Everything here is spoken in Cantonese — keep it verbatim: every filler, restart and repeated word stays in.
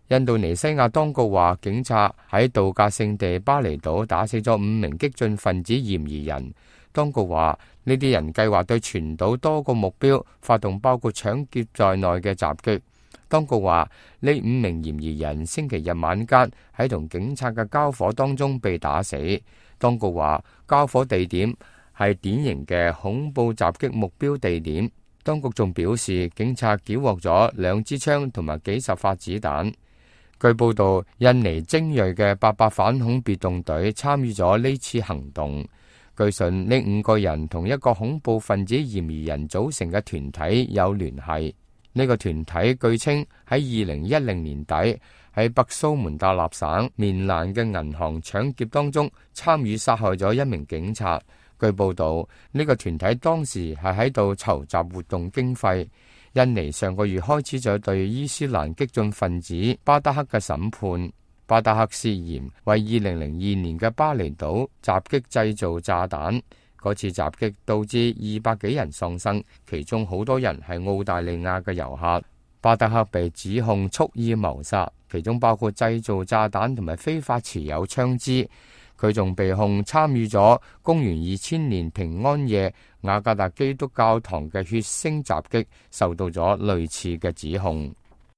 印度尼西亞當局話，警察喺度假勝地巴厘島打死咗五名激進分子嫌疑人。當局話，呢啲人計劃對全島多個目標發動包括搶劫在內嘅襲擊。當局話，呢五名嫌疑人星期日晚間喺同警察嘅交火當中被打死。當局話，交火地點係典型嘅恐怖襲擊目標地點。當局仲表示，警察繳獲咗兩支槍同埋幾十發子彈。據報道，印尼精銳嘅八八反恐別動隊參與咗呢次行動。據信呢五個人同一個恐怖分子嫌疑人組成嘅團體有聯繫。呢個團體據稱喺二零一零年底喺北蘇門答臘省棉蘭嘅銀行搶劫當中參與殺害咗一名警察。據報道，呢個團體當時係喺度籌集活動經費。印尼上個月開始咗對伊斯蘭激進分子巴德克嘅審判。巴德克涉嫌為二零零二年嘅巴厘島襲擊製造炸彈。嗰次襲擊導致二百幾人喪生，其中好多人係澳大利亞嘅遊客。巴德克被指控蓄意謀殺，其中包括製造炸彈同埋非法持有槍支。佢仲被控參與咗公元二千年平安夜雅加達基督教堂嘅血腥襲擊，受到咗類似嘅指控。